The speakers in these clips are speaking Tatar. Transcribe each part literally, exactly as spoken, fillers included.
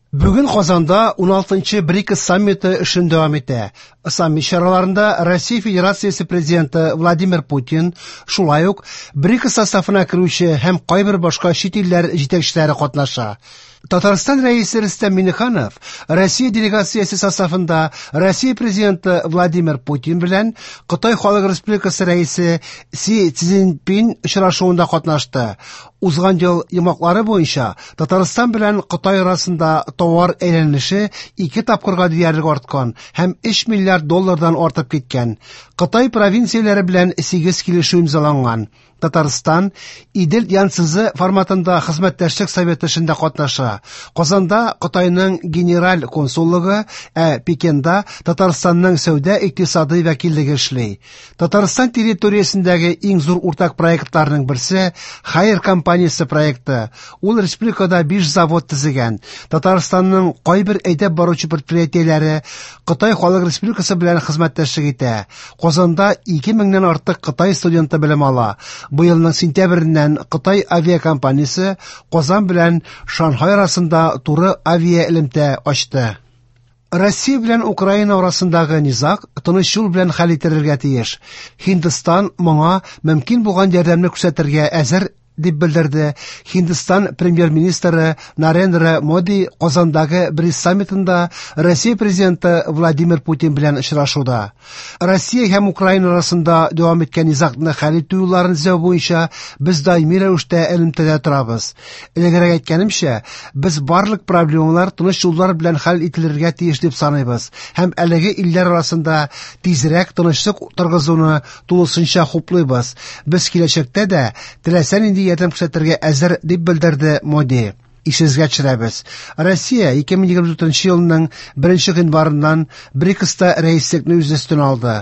Бүген Казанда уналтынчы БРИКС саммиты эшен дәвам итә. Саммит чараларында Россия Федерациясе президенты Владимир Путин, шулай ук БРИКС составына керүче һәм кайбер башка чит илләр җитәкчеләре катнаша. Татарстан Рәисе Рөстәм Миңнеханов Россия делегациясе составында Россия президенты Владимир Путин белән Кытай Халык Республикасы Рәисе Си Цзиньпин очрашуында катнашты. Узган ел йомгаклары буенча Татарстан белән Кытай арасында товар әйләнеше ике тапкырга диярлек арткан һәм өч миллиард доллардан артып киткән. Кытай провинцияләре белән сигез килешү имзаланган. Татарстан Идел Янцзы форматында хезмәттәшлек советы эшендә катнаша. Казанда Кытайның генераль консуллыгы, ә Пекинда Татарстанның сәүдә икътисади вәкиллеге эшли. Татарстан территориясендәге иң зур уртак проектларның берсе Хайер компаниясе проекты. Ул республикада биш завод төзегән. Татарстанның кайбер әйдәп баручы предприятиеләре Кытай Халык Республикасы белән хезмәттәшлек итә. Казанда ике меңнән артык Кытай студенты белем ала. Быелның сентябреннән Кытай авиакомпаниясе Казан белән Шанхай арасында туры авиа элемтә ачты. Россия белән Украина арасындагы низаг тыныч юл белән хәл ителергә тиеш. Һиндстан моңа мөмкин булган ярдәмне күрсәтергә әзер, дип белдерде Һиндстан премьер-министры Нарендра Моди Казандагы БРИКС саммитында Россия президенты Владимир Путин белән очрашуда. Россия һәм Украина арасында дәвам иткән низагны хәл итү юлларын эзләү буенча без даими рәвештә элемтәдә торабыз. Элегрәк әйткәнемчә, без барлык проблемалар тыныч юллар белән хәл ителергә тиеш дип саныйбыз һәм әлеге илләр арасында тизрәк тынычлык торгызуны тулысынча хуплыйбыз. Без киләчәктә дә теләсә нинди ярдәм күрсәтергә әзер, дип белдерде Моди. Исегезгә төшерәбез. Россия ике мең егерме дүртенче елның беренче гыйнварыннан БРИКСта рәислекне үз өстенә алды.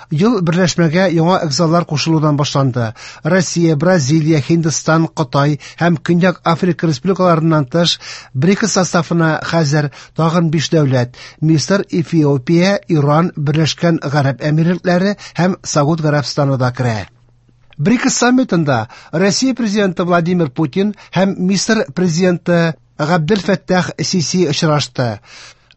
Ел берләшмәгә яңа әгъзалар кушылудан башланды. Россия, Бразилия, Һиндстан, Кытай һәм Көньяк Африка республикаларыннан тыш БРИКС составына хәзер тагын биш дәүләт: Мисыр, Эфиопия, Иран, Берләшкән Гарәп Әмирлекләре һәм Сауд Гарәбстаны да керә. БРИКС саммитында Россия президенты Владимир Путин һәм Мисыр президенты Габдел Фәттах Сиси очрашты.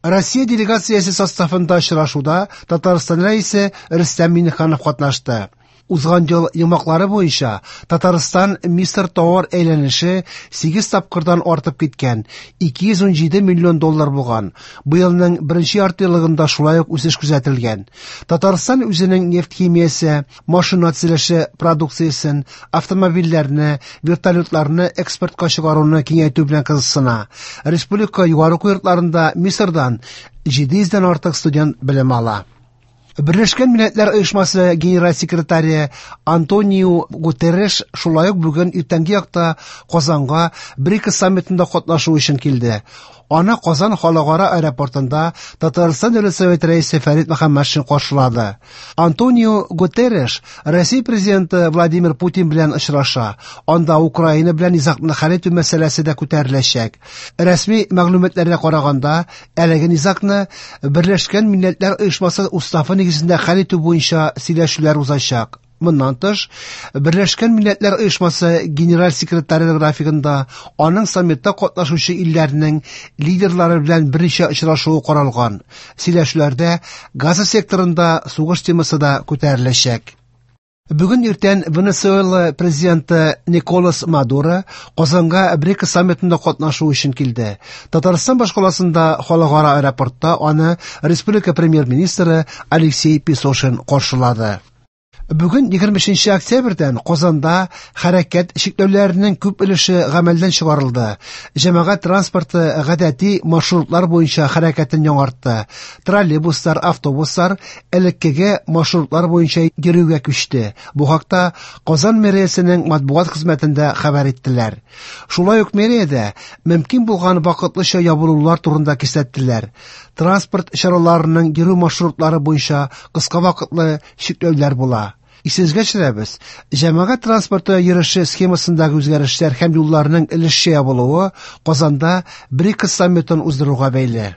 Россия делегациясе составында очрашуда Татарстан рәисе Рөстәм Миңнеханов катнашты. Узган ел йомгаклары буенча Татарстан Мисыр товар әйләнеше сигез тапкырдан артып киткән, ике йөз ун җиде миллион доллар булган. Быелның беренче яртыеллыгында шулай ук үсеш күзәтелгән. Татарстан үзенең нефть химиясе, машина төзелеше продукциясен, автомобильләрне, вертолетларны экспортка чыгаруны киңәйтү белән кызыксына. Республика югары уку йортларында Мисырдан җиде йөздән артык студент белем ала. Берләшкән Милләтләр Оешмасы генераль секретаре Антонио Гутерреш шулай ук бүген иртәнге якта Казанга БРИКС саммитында катнашу өчен килде. Аны Казан халыкара аэропортында Татарстан Дәүләт Советы рәисе Фәрит Мөхәммәтшин каршылады. Антонио Гутерреш Россия президенты Владимир Путин белән очраша. Анда Украина белән низагны хәл итү мәсьәләсе дә күтәреләчәк. Рәсми мәгълүматларга караганда, әлеге низагны Берләшкән Милләтләр Оешмасы уставы нигезендә хәл итү буенча сөйләшүләр узачак. Моннан тыш, Берләшкән Милләтләр Оешмасы генераль секретаре графигында аның саммитта катнашучы илләрнең лидерлары белән берничә очрашуы каралган. Сөйләшүләрдә Газа секторында сугыш темасы да күтәреләчәк. Бүген иртән Венесуэла президенты Николас Мадуро Казанга БРИКС саммитында катнашу өчен килде. Татарстан башкаласында халыкара аэропортта аны республика премьер-министры Алексей Песошин каршылады. Бүген егерме өченче октябрьдән Казанда хәрәкәт чикләүләренең күп өлеше гамәлдән чыгарылды. Җәмәгать транспорты гадәти маршрутлар буенча хәрәкәтен яңартты. Троллейбуслар, автобуслар элеккеге маршрутлар буенча йөрүгә күчте. Бу хакта Казан мэриясенең матбугат хезмәтендә хәбәр иттеләр. Шулай ук мэриядә мөмкин булган вакытлыча ябылулар турында кисәттеләр. Транспорт чараларының йөрү маршрутлары буенча кыска вакытлы чикләүләр була. Исегезгә төшерәбез, җәмәгать транспорты йөреше схемасындагы үзгәрешләр һәм юлларның өлешчә ябылуы Казанда БРИКС саммитын уздыруга бәйле.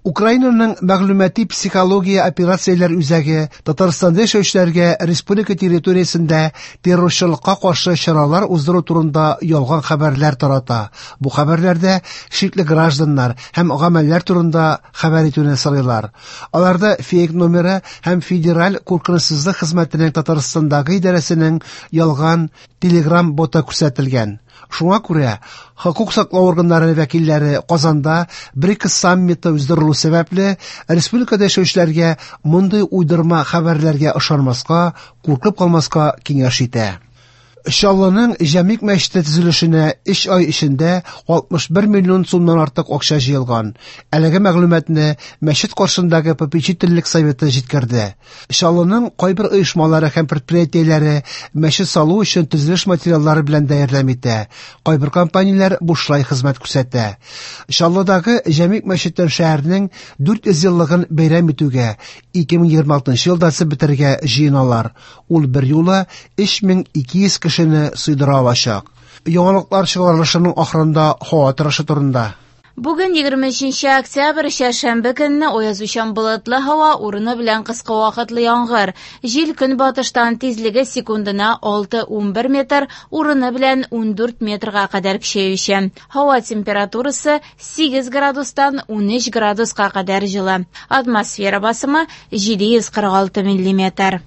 Украинаның мәгълүмати психология операцияләр үзәге Татарстанда яшәүчеләргә республика территориясендә террорчылыкка каршы чаралар уздыру турында ялган хәбәрләр тарата. Бу хәбәрләрдә шикле гражданнар һәм гамәлләр турында хәбәр итүне сорыйлар. Аларда фейк номеры һәм Федераль куркынычсызлык хезмәтенең Татарстандагы идарәсенең ялган Telegram боты күрсәтелгән. Шуңа күрә хокук саклау органнары вәкилләре Казанда БРИКС саммиты уздырылу сәбәпле республикада яшәүчеләргә мондый уйдырма хәбәрләргә ышанмаска, куркып калмаска киңәш итә. Чаллының Җәмигъ мәчете төзелешенә өч ай эчендә алтмыш бер миллион сумнан артык акча җыелган. Әлеге мәгълүматны мәчет каршындагы попечительлек советы җиткерде. Чаллының кайбер оешмалары һәм предприятиеләре мәчет салу өчен төзелеш материаллары белән дә ярдәм итә. Кайбер компанияләр бушлай хезмәт күрсәтә. Чаллыдагы Җәмигъ мәчетен шәһәрнең дүрт йөз еллыгын бәйрәм итүгә ике мең егерме алтынчы елда төзеп бетерергә җыеналар. Ул бер юлы өч мең ике йөз кешене сыйдыра алачак. Яңалыклар чыгарылышының ахырында һава торышы турында. Бүген егерме өченче октябрь, чәршәмбе көнне аязучан болытлы һава, урыны белән кыска вакытлы яңгыр. Җил көнбатыштан тизлеге секундына алты унбер метр, урыны белән ундүрт метрга кадәр көчәючән. Һава температурасы сигез градустан унөч градуска кадәр җылы. Атмосфера басымы җиде йөз кырык алты миллиметр.